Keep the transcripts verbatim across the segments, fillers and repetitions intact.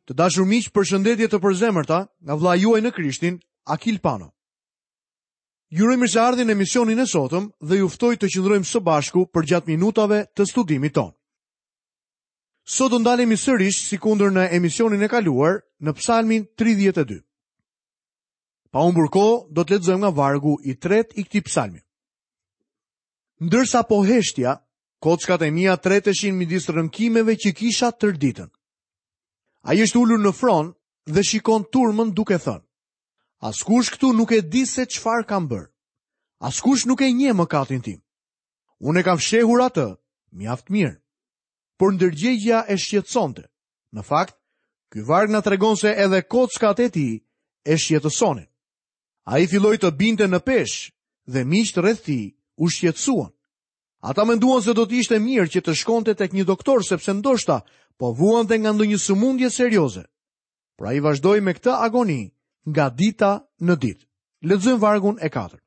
Të dashur miq, përshëndetje të përzemërta nga vëllai juaj në Krishtin, Akil Pano. Ju uroj mirëseardhjen në emisionin e sotëm dhe ju ftoj të qëndrojmë së bashku përgjatë minutave të studimit tonë. Sot do ndalemi sërish sikundër në emisionin e kaluar në Psalmin tridhjetë e dy. Pa humbur kohë, do të lexojmë nga vargu i tretë i këtij psalmi. Ndërsa po heshtja, kockat e mia treteshin midis rënkimeve që kisha tërë ditën. Ai është ulur në fron dhe shikon turmën duke thënë: Askush këtu nuk e di se çfarë kam bërë. Askush nuk e njeh mëkatin tim. Unë e kam fshehur atë mjaft mirë. Por ndërgjegja e shqetësonte. Në fakt, ky varg na tregon se edhe kockat e tij e shqetësonin. Ai filloi të binte në peshë dhe miqtë rreth tij u shqetësuan. Ata menduan se do të ishte mirë që të shkonte tek një doktor sepse ndoshta po vuante nga ndonjë sëmundje serioze. Por ai vazhdoi me këtë agoni nga dita në ditë. Lexojmë vargun e katërt.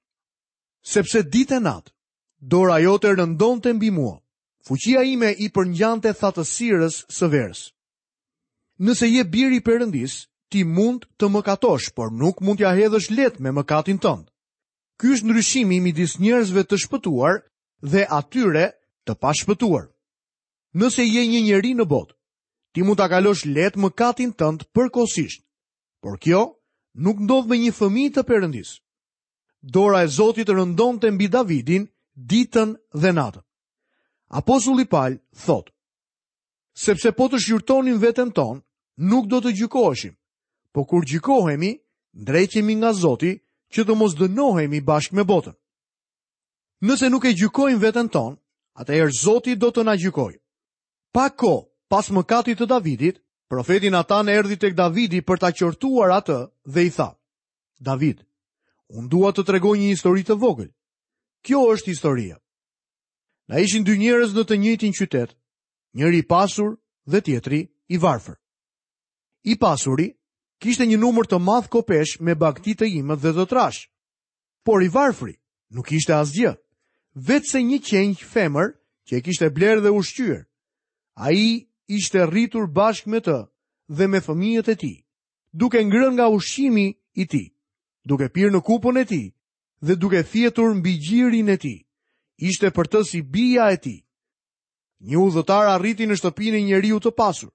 Sepse ditë e natë, dora jote rëndonte mbi mua. Fuqia ime i përngjante thatësirës së verës. Nëse je bir i Perëndis, ti mund të mëkatosh, por nuk mund t'ja hedhësh lehtë me mëkatin tënd. Ky është ndryshimi midis njerëzve të shpëtuar dhe atyre të pashpëtuar. Nëse je një njeri në botë, ti mund ta kalosh lehtë mëkatin tënd përkohësisht, por kjo nuk ndodh me një fëmijë të Perëndis. Dora e Zotit rëndonte mbi Davidin ditën dhe natën. Apostulli Paul thotë: Sepse po të shqyrtonim veten tonë, nuk do të gjykoheshim, po kur gjykohemi, ndreqemi nga Zoti që të mos dënohemi bashkë me botën. Nëse nuk e gjykojmë veten tonë, atëherë Zoti do të na gjykojë. Pak kohë pas mëkatit të Davidit, profeti Natan erdhi tek Davidi për ta qortuar atë dhe i tha: David, unë dua të tregoj një histori të vogël. Kjo është historia. Na ishin dy njerëz në të njëjtin qytet, njëri i pasur dhe tjetri i varfër. I pasuri kishte një numër të madh kopesh me bagëti të imët dhe të trash, por i varfri nuk ishte asgjë, veçse një qengj femër që e kishte blerë dhe ushqyer. Ai ishte rritur bashkë me të dhe me fëmijët e tij, duke ngrënë nga ushqimi i tij, duke pirë në kupën e tij dhe duke fjetur mbi gjirin e tij. Ishte për të si bija e tij. Një udhëtar arriti në shtëpinë e njeriu të pasur.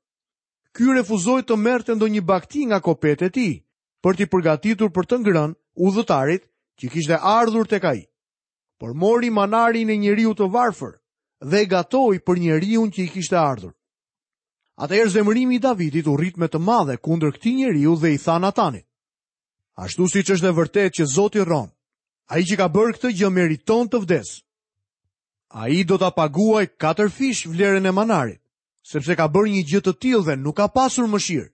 Ky refuzoi të merrte ndonjë bagëti nga kopet e tij, për t'i përgatitur për të ngrënë udhëtarit që kishte ardhur tek ai. Por mori manarin e njeriu të varfër dhe e gatoi për njeriun që i kishte ardhur. Atëherë zemërimi i Davidit u rrit me të madhe kundër këtij njeriu dhe i tha Natanit: Ashtu siç është e vërtetë që Zoti rron, ai që ka bërë këtë gjë meriton të vdesë. Ai do ta paguaj katër fish vlerën e manarit, sepse ka bërë një gjë të tillë dhe nuk ka pasur mëshirë.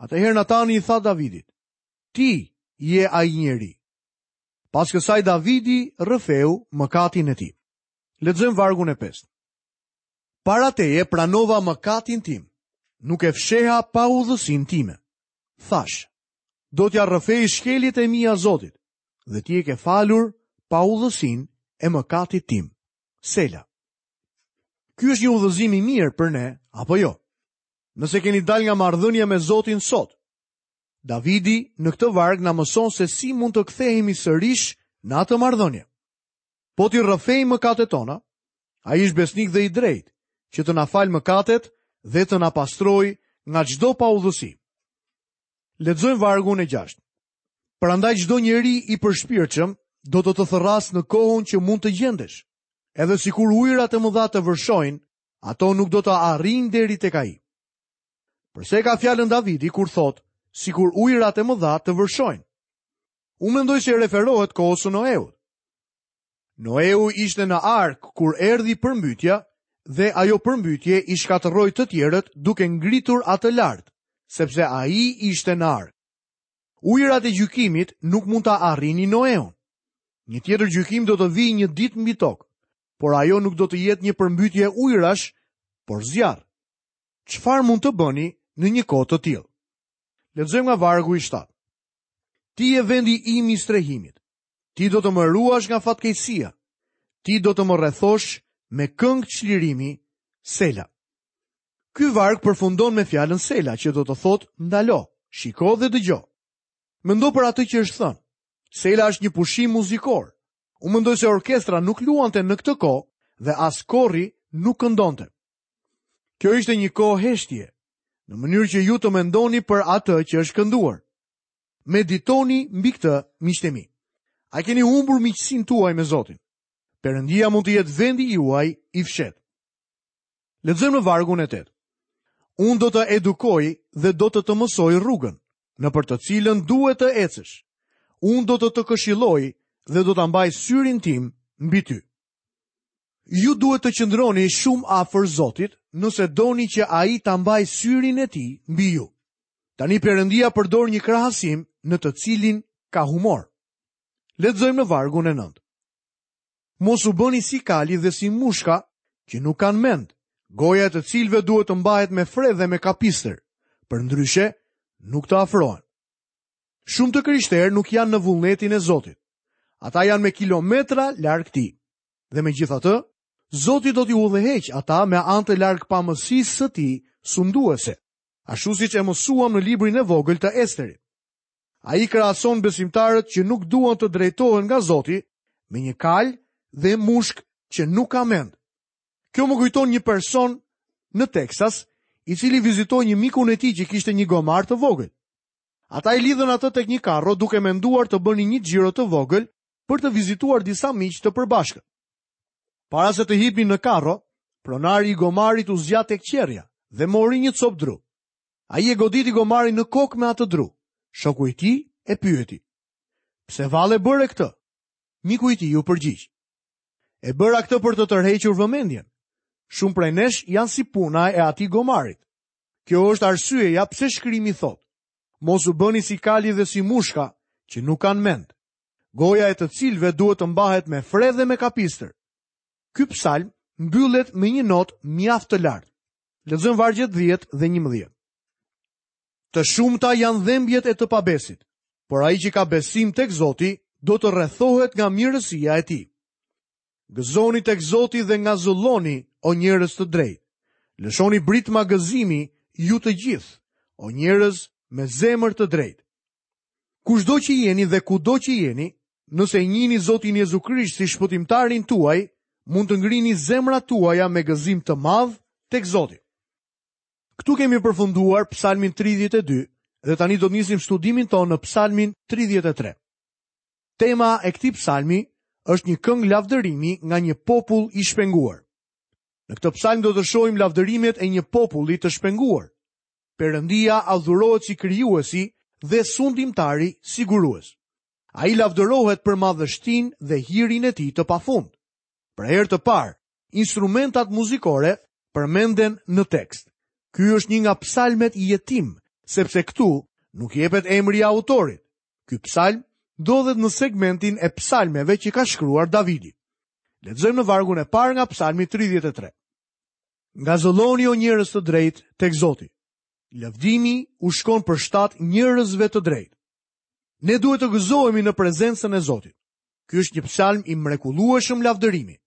Atëherë Natani i tha Davidit: Ti je ai njeri. Pas kësaj Davidi rrëfeu mëkatin e tij. Lexojmë vargun e pestë. Para teje pranova mëkatin tim, nuk e fsheha pa udhësinë time. Thash, do t'ja rrëfej shkeljet e mia Zotit, dhe ti e ke falur pa udhësinë e mëkatit tim. Sela. Ky është një udhëzim i mirë për ne, apo jo? Nëse keni dalë nga marrëdhënia me Zotin sot, Davidi në këtë varg na mëson se si mund të kthehemi sërish në atë marrëdhënie. Po t'i rrëfejmë mëkatet tona, ai është besnik dhe i drejtë, që të na falë mëkatet dhe të na pastrojë nga çdo paudhësi. Lexojmë vargun e gjashtë. Prandaj çdo njeri i përshpirtshëm do të të thërrasë në kohën që mund të gjendesh. Edhe sikur ujërat e mëdha të vërshojnë, ato nuk do të arrijnë deri tek ai. Përse ka fjalën Davidi kur thotë, sikur ujërat e mëdha të vërshojnë? Unë mendoj se referohet kohës së Noeut. Noeu ishte në arkë kur erdhi përmbytja dhe ajo përmbytje i shkatërroi të tjerët duke ngritur atë lart, sepse ai ishte në arkë. Ujërat e gjykimit nuk mund ta arrinin Noeun. Një tjetër gjykim do të vijë një ditë mbi tokë, por ajo nuk do të jetë një përmbytje ujërash, por zjarr. Çfarë mund të bëni në një kohë të tillë? Lexojmë nga vargu i shtatë. Ti je vendi im i strehimit. Ti do të më ruash nga fatkeqësia. Ti do të më rrethosh me këngë çlirimi, Sela. Ky varg përfundon me fjalën Sela, që do të thotë ndalo, shiko dhe dëgjo. Mendo për atë që është thënë. Sela është një pushim muzikor. Unë mendoj se orkestra nuk luante në këtë kohë dhe as kori nuk këndonte. Kjo ishte një kohë heshtje, në mënyrë që ju të mendoni për atë që është kënduar. Meditoni mbi këtë, miqtë e mi. A keni humbur miqësinë tuaj me Zotin? Perëndia mund të jetë vendi juaj i fshehtë. Lexojmë në vargun e tetë. Unë do të edukoj dhe do të të mësoj rrugën, nëpër të cilën duhet të ecësh. Unë do të të këshilloj dhe do ta mbaj syrin tim mbi ty. Ju duhet të qëndroni shumë afër Zotit, nëse doni që ai ta mbajë syrin e tij mbi ju. Tani Perëndia përdor një krahasim në të cilin ka humor. Lexojmë në vargun e nëntë. Mos u bëni si kali dhe si mushka që nuk kanë mend, goja e të cilëve duhet të mbahet me fre dhe me kapistër, përndryshe nuk të afrohen. Shumë të krishterë nuk janë në vullnetin e Zotit. Ata janë me kilometra larg tij. Dhe megjithatë, Zoti do t'i udhëheq ata me anë të largpamësisë së tij sunduese, ashtu siç e mësuam në librin e vogël të Esterit. Ai krahason besimtarët që nuk duan të drejtohen nga Zoti me një kalë dhe mushk që nuk ka mend. Kjo më kujton një person në Texas, i cili vizitoi një mikun e tij që kishte një gomar të vogël. Ata i lidhën atë tek një karro duke menduar të bënin një xhiro të vogël për të vizituar disa miq të përbashkët. Para se të hipnin në karro, pronari i gomarit u zgjat tek qerja dhe mori një copë dru. Ai e goditi gomarin në kokë me atë dru. Shoku i tij e pyeti: "Pse valle bëre këtë?" Miku i tij u përgjigj: "E bëra këtë për të tërhequr vëmendjen. Shumë prej nesh janë si puna e atij gomarit. Kjo është arsyeja pse shkrimi thotë: Mos u bëni si kali dhe si mushka që nuk kanë mend, goja e të cilëve duhet të mbahet me fre dhe me kapistër." Ky psalm mbyllet me një notë mjaft të lartë. Lexojmë vargjet dhjetë dhe njëmbëdhjetë. Të shumta janë dhembjet e të pabesit, por ai që ka besim tek Zoti do të rrethohet nga mirësia e tij. Gëzoni tek Zoti dhe ngazëlloni, o njerëz të drejtë. Lëshoni britma gëzimi ju të gjithë, o njerëz me zemër të drejtë. Kushdo që jeni dhe kudo që jeni, nëse njihni Zotin Jezu Krisht si shpëtimtarin tuaj, mund të ngrini zemrat tuaja me gëzim të madh tek Zoti. Këtu kemi përfunduar Psalmin tridhjetë e dy dhe tani do të nisim studimin tonë në Psalmin tridhjetë e tre. Tema e këtij psalmi është një këngë lavdërimi nga një popull i shpenguar. Në këtë psalm do të shohim lavdërimet e një populli të shpenguar. Perëndia adhurohet si krijuesi dhe sundimtari sigurues. Ai lavdërohet për madhështinë dhe hirin e tij të pafund. Për herë të parë, instrumentat muzikore përmenden në tekst. Ky është një nga psalmet jetim, sepse këtu nuk jepet emri i autorit. Ky psalm ndodhet në segmentin e psalmeve që ka shkruar Davidi. Lexojmë në vargun e parë nga psalmi tridhjetë e tre. Ngazëlloni o njerëz të drejtë tek Zoti. Lavdimi u shkon për shtat njerëzve të drejtë. Ne duhet të gëzohemi në prezencën e Zotit. Ky është një psalm i mrekullueshëm lavdërimi.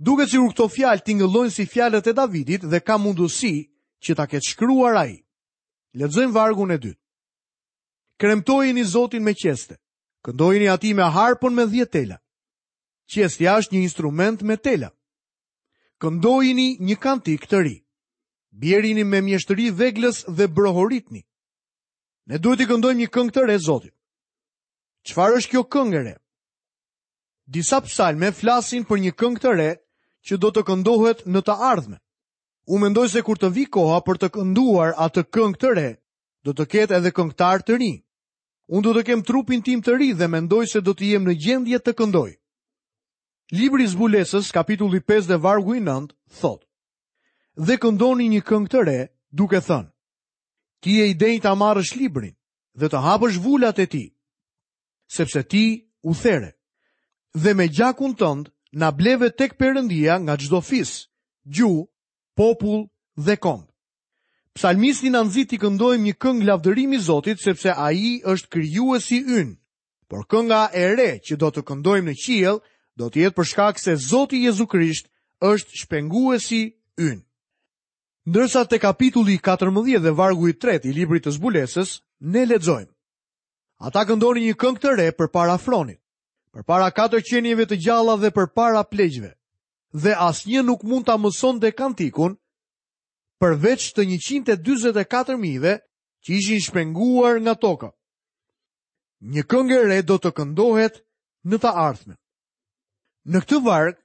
Duket sikur këto fjalë tingëllojnë si fjalët e Davidit dhe ka mundësi që ta ketë shkruar ai. Lexojmë vargun e dytë. Kremtojeni Zotin me qeste, këndojeni atij me harpën me dhjetë tela. Qestja është një instrument me tela. Këndojeni një kantik të ri. Bjerini me mjeshtëri veglës dhe brohoritni. Ne duhet t'i këndojmë një këngë të re Zotit. Çfarë është kjo këngë e re? Disa psalme flasin për një këngë të re që do të këndohet në të ardhmen. Unë mendoj se kur të vi koha për të kënduar atë këngë të re, do të ketë edhe këngëtar të rinj. Unë do të kem trupin tim të ri dhe mendoj se do të jem në gjendje të këndoj. Libri i Zbulesës, kapitulli pesë dhe vargu i nëntë, thotë: Dhe këndoni një këngë të re, duke thënë: Ti je i denjë ta marrësh librin dhe të hapësh vulat e tij, sepse ti u there, dhe me gjakun tënd na bleve tek Perëndia nga çdo fis, gjuhë, popull dhe komb. Psalmisti na nxit t'i këndojmë një këngë lavdërimi Zotit, sepse ai është krijuesi ynë. Por kënga e re që do të këndojmë në qiell do të jetë për shkak se Zoti Jezu Krisht është shpenguesi ynë. Ndërsa te kapitulli katërmbëdhjetë dhe vargu i tretë i librit të zbulesës, ne lexojmë. Ata këndonin një këngë të re përpara fronit, përpara katër qenieve të gjalla dhe përpara pleqve, dhe asnjë nuk mund ta mësonte kantikun përveç të njëqind e dyzet e katër mijëve që ishin shpenguar nga toka. Një këngë e re do të këndohet në të ardhmen. Në këtë varg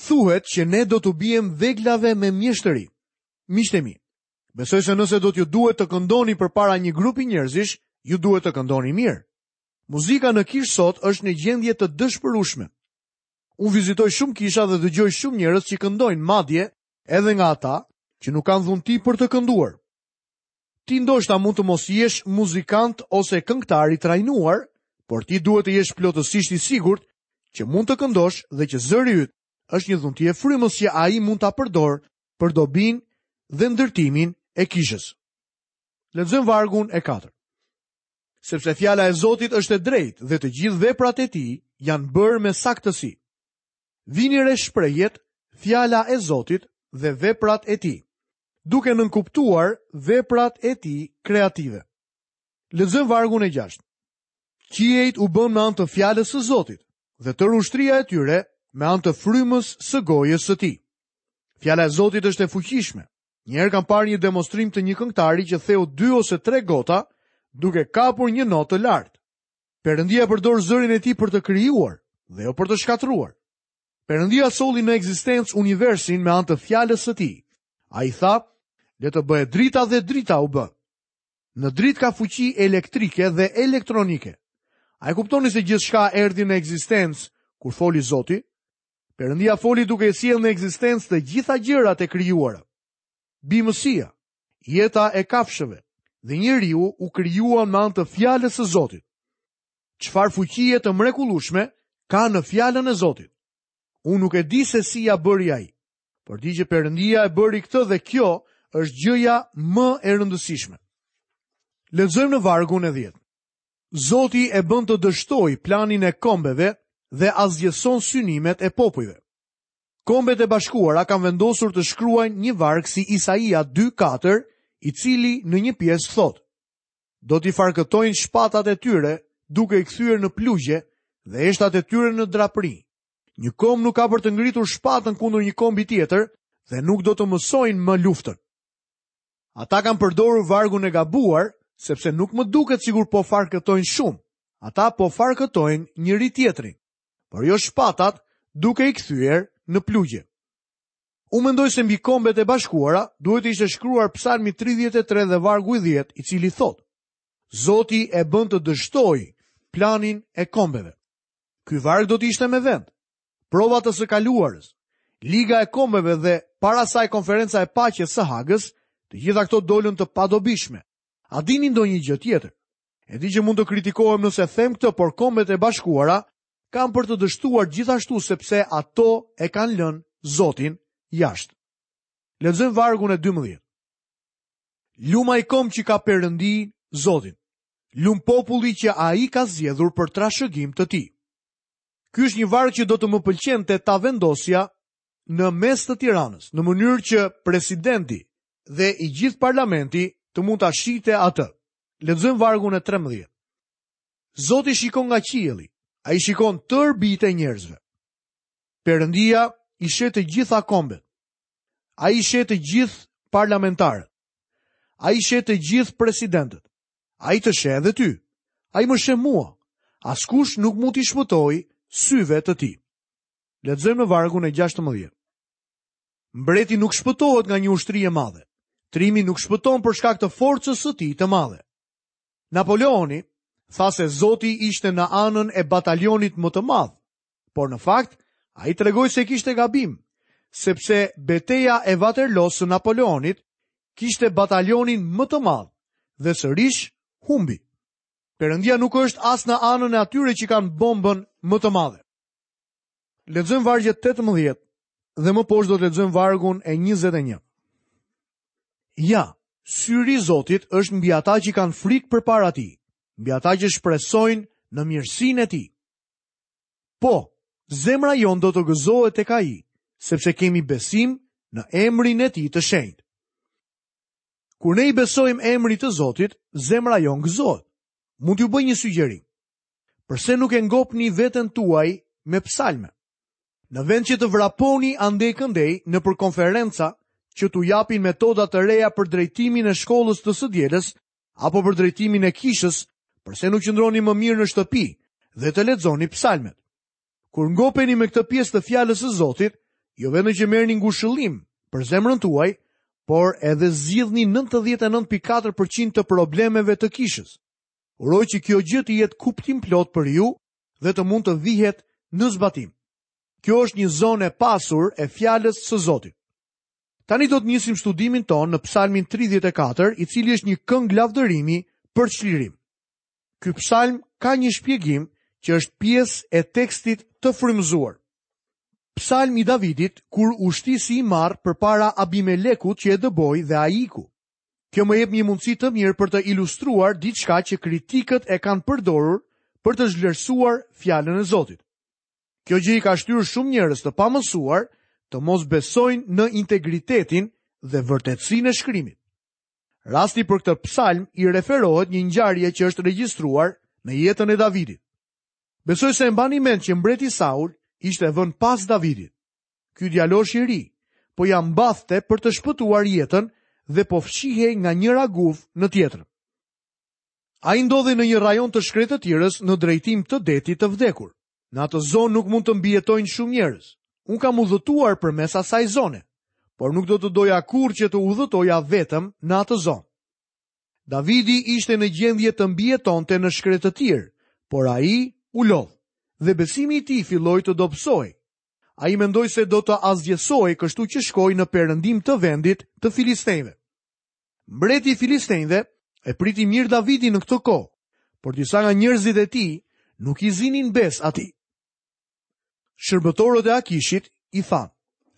thuhet që ne do t'u biem veglave me mjeshtëri. Miqtë e mi, besoj se nëse do t'ju duhet të këndoni përpara një grupi njerëzish, ju duhet të këndoni mirë. Muzika në kishë sot është në gjendje të dëshpërueshme. Unë vizitoj shumë kisha dhe dëgjoj shumë njerëz që këndojnë, madje edhe nga ata që nuk kanë dhunti për të kënduar. Ti ndoshta mund të mos jesh muzikant ose këngëtar i trajnuar, por ti duhet të jesh plotësisht i sigurt që mund të këndosh dhe që zëri yt është një dhunti e frymës që ai mund ta përdor për dobinë dhe ndërtimin e kishës. Lexojmë vargun e katërt. Sepse fjala e Zotit është e drejtë dhe të gjithë veprat e tij janë bërë me saktësi. Vini re shprehjet fjala e Zotit dhe veprat e tij, duke nënkuptuar veprat e tij kreative. Lexojmë vargun e gjashtë. Qiejt u bën me anë të fjalës së Zotit dhe tërë ushtria e tyre me anë të frymës së gojës së tij. Fjala e Zotit është e fuqishme. Një herë kam parë një demonstrim të një këngëtari që theu dy ose tre gota duke kapur një notë të lartë. Perëndia përdor zërin e tij për të krijuar dhe jo për të shkatërruar. Perëndia solli në ekzistencë universin me anë të fjalës së tij. Ai tha, le të bëhet drita dhe drita u bë. Në dritë ka fuqi elektrike dhe elektronike. A e kuptoni se gjithçka erdhi në ekzistencë kur foli Zoti? Perëndia foli duke e sjellë në ekzistencë të gjitha gjërat e krijuara. Bimësia, jeta e kafshëve dhe njeriu u krijuan me anë të fjalës së Zotit. Çfarë fuqie të mrekullueshme ka në fjalën e Zotit? Unë nuk e di se si ja bëri ai, por di që Perëndia e bëri këtë dhe kjo është gjëja më e rëndësishme. Lexojmë në vargun e dhjetë. Zoti e bën të dështoj planin e kombeve dhe asgjëson synimet e popujve. Kombet e Bashkuara kanë vendosur të shkruajnë një varg si Isaia dy katër, i cili në një pjesë thotë: Do t'i farkëtojnë shpatat e tyre duke i kthyer në plugje dhe eshtat e tyre në drapri. Një komb nuk ka për të ngritur shpatën kundër një kombi tjetër dhe nuk do të mësojnë më luftën. Ata kanë përdorur vargun e gabuar, sepse nuk më duket sikur po farkëtojnë shumë. Ata po farkëtojnë njëri tjetrin, por jo shpatat duke i kthyer në plugje. Unë mendoj se mbi kombet e bashkuara duhet të ishte shkruar Psalmi tridhjetë e tre dhe vargu i dhjetë, i cili thotë: Zoti e bën të dështoj planin e kombeve. Ky varg do të ishte me vend. Provat të së kaluarës, Liga e Kombeve dhe para saj Konferenca e Paqes së Hagës, të gjitha këto dolën të padobishme. A dini ndonjë gjë tjetër? E di që mund të kritikohem nëse them këtë, por kombet e bashkuara kanë për të dështuar gjithashtu sepse ato e kanë lënë Zotin jashtë. Lexojmë vargun e dymbëdhjetë. Lum ai komb që ka Perëndi Zotin. Lum populli që ai ka zgjedhur për trashëgim të tij. Ky është një varg që do të më pëlqente ta vendosja në mes të Tiranës, në mënyrë që presidenti dhe i gjithë parlamenti të mund ta shihte atë. Lexojmë vargun e trembëdhjetë. Zoti shikon nga qielli, ai shikon tërë bijtë e njerëzve. Perëndia i sheh të gjitha kombet. Ai i sheh të gjithë parlamentarët. Ai i sheh të gjithë presidentët. Ai të sheh edhe ty. Ai më sheh mua. Askush nuk mund t'i shpëtojë syve të tij. Lexojmë në vargun e gjashtëmbëdhjetë. Mbreti nuk shpëtohet nga një ushtri e madhe. Trimi nuk shpëton për shkak të forcës së tij të madhe. Napoleoni tha se Zoti ishte në anën e batalionit më të madh, por në fakt ai tregoi se kishte gabim, sepse beteja e Waterloo së Napoleonit kishte batalionin më të madh dhe sërish humbi. Perëndia nuk është as në anën e atyre që kanë bombën më të madhe. Lexojmë vargjet tetëmbëdhjetë dhe më poshtë do të lexojmë vargun e njëzet e një. Ja, syri i Zotit është mbi ata që kanë frikë përpara tij, mbi ata që shpresojnë në mirësinë e tij. Po, zemra jonë do të gëzohet tek ai, sepse kemi besim në emrin e tij të shenjtë. Kur ne i besojmë emrit të Zotit, zemra jonë gëzohet. Mund t'ju bëj një sugjerim. Përse nuk e ngopni veten tuaj me psalme? Në vend që të vraponi andej këndej nëpër konferenca që t'u japin metoda të reja për drejtimin e shkollës të së dielës apo për drejtimin e kishës, përse nuk qëndroni më mirë në shtëpi dhe të lexoni psalmet? Kur ngopeni me këtë pjesë të fjalës së Zotit, jo vetëm që merrni ngushëllim për zemrën tuaj, por edhe zgjidhni nëntëdhjetë e nëntë pikë katër përqind të problemeve të kishës. Uroj që kjo gjë të jetë kuptimplot për ju dhe të mund të vihet në zbatim. Kjo është një zonë e pasur e fjalës së Zotit. Tani do të nisim studimin tonë në Psalmin tridhjetë e katër, i cili është një këngë lavdërimi për çlirim. Ky psalm ka një shpjegim që është pjesë e tekstit të frymëzuar. Psalm i Davidit kur u shti si i marr përpara Abimelekut që e dëboi dhe ai iku. Kjo më jep një mundësi të mirë për të ilustruar diçka që kritikët e kanë përdorur për të zhvlerësuar fjalën e Zotit. Kjo gjë i ka shtyrë shumë njerëz të pamësuar të mos besojnë në integritetin dhe vërtetësinë e shkrimit. Rasti për këtë psalm i referohet një ngjarje që është regjistruar në jetën e Davidit. Besoj se e mbani mend që mbreti Saul ishte vënë pas Davidit. Ky djalosh i ri po ja mbathte për të shpëtuar jetën dhe po fshihej nga njëra guvë në tjetrën. Ai ndodhej në një rajon të shkretëtirës në drejtim të detit të vdekur. Në atë zonë nuk mund të mbijetojnë shumë njerëz. Unë kam udhëtuar përmes asaj zone, por nuk do të doja kurrë që të udhëtoja vetëm në atë zonë. Davidi ishte në gjendje të mbijetonte në shkretëtirë, por ai u lodh dhe besimi i tij filloi të dobësohej. Ai mendoi se do të asgjësohej, kështu që shkoi në perëndim të vendit të Filistejve. Mbreti i Filistejve e priti mirë Davidin në këtë kohë, por disa nga njerëzit e tij nuk i zinin bes atij. Shërbëtorët e Akishit i thanë: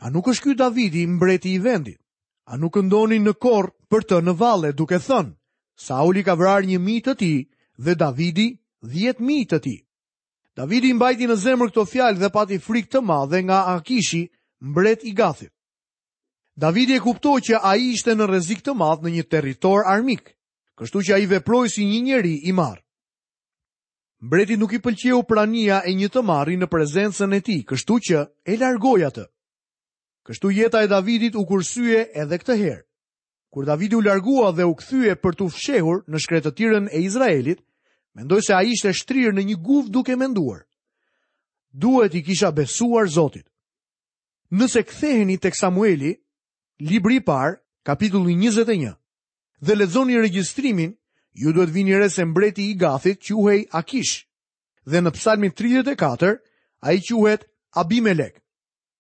A nuk është ky Davidi mbreti i vendit? A nuk këndonin në kor për të në valle duke thënë: Sauli ka vrarë një mijë të tij dhe Davidi dhjetë mijë të tij. Davidi i mbajti në zemër këto fjalë dhe pati frikë të madhe nga Akishi, mbret i Gathit. Davidi e kuptoi që ai ishte në rrezik të madh në një territor armik, kështu që ai veproi si një njeri i marrë. Mbreti nuk i pëlqeu prania e një të marri në prezencën e tij, kështu që e largoi atë. Kështu jeta e Davidit u kursye edhe këtë herë. Kur Davidi u largua dhe u kthye për t'u fshehur në shkretëtirën e Izraelit, mendoi se ai ishte shtrirë në një guvë duke menduar: Duhet i kisha besuar Zotit. Nëse ktheheni tek Samueli, libri i parë, kapitulli njëzet e një, dhe lexoni regjistrimin, ju duhet vini re se mbreti i Gathit quhej Akish, dhe në Psalmin tridhjetë e katër ai quhet Abimelek.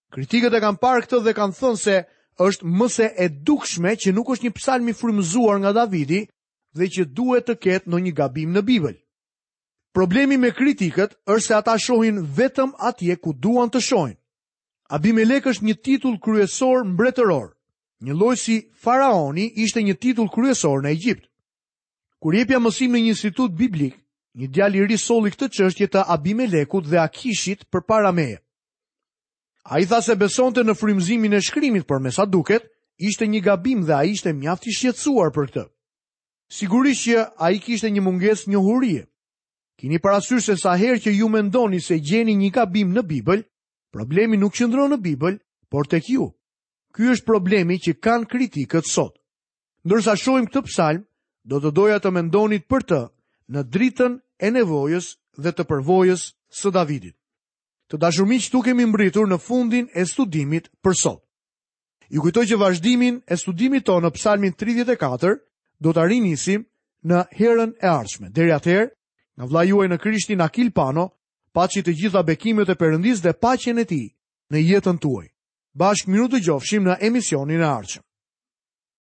Kritikët e kanë parë këtë dhe kanë thënë se është më se e dukshme që nuk është një psalm i frymëzuar nga Davidi dhe që duhet të ketë ndonjë gabim në Bibël. Problemi me kritikët është se ata shohin vetëm atje ku duan të shohin. Abimelek është një titull kryesor mbretëror, një lloj si faraoni ishte një titull kryesor në Egjipt. Kur jepja mësim në një institut biblik, një djalë i ri solli këtë çështje të Abimelekut dhe Akishit përpara meje. Ai tha se besonte në frymëzimin e shkrimit, por me sa duket, ishte një gabim dhe ai ishte mjaft i shqetësuar për këtë. Sigurisht që ai kishte një mungesë njohurie. Kini parasysh se sa herë që ju mendoni se gjeni një gabim në Bibël, problemi nuk qëndron në Bibël, por tek ju. Ky është problemi që kanë kritikët sot. Ndërsa shohim këtë psalm, do të doja të mendonit për të në dritën e nevojës dhe të përvojës së Davidit. Të dashur miq, këtu kemi mbritur në fundin e studimit për sot. Ju kujtoj që vazhdimin e studimit tonë në Psalmin tridhjetë e katër do ta rinisim në herën e ardhshme. Deri atëherë, nga vëllai juaj në Krishtin Akil Pano, paçi të gjitha bekimet e Perëndisë dhe paqen e tij në jetën tuaj. Bashkë mirë u dëgjofshim në emisionin e ardhshëm.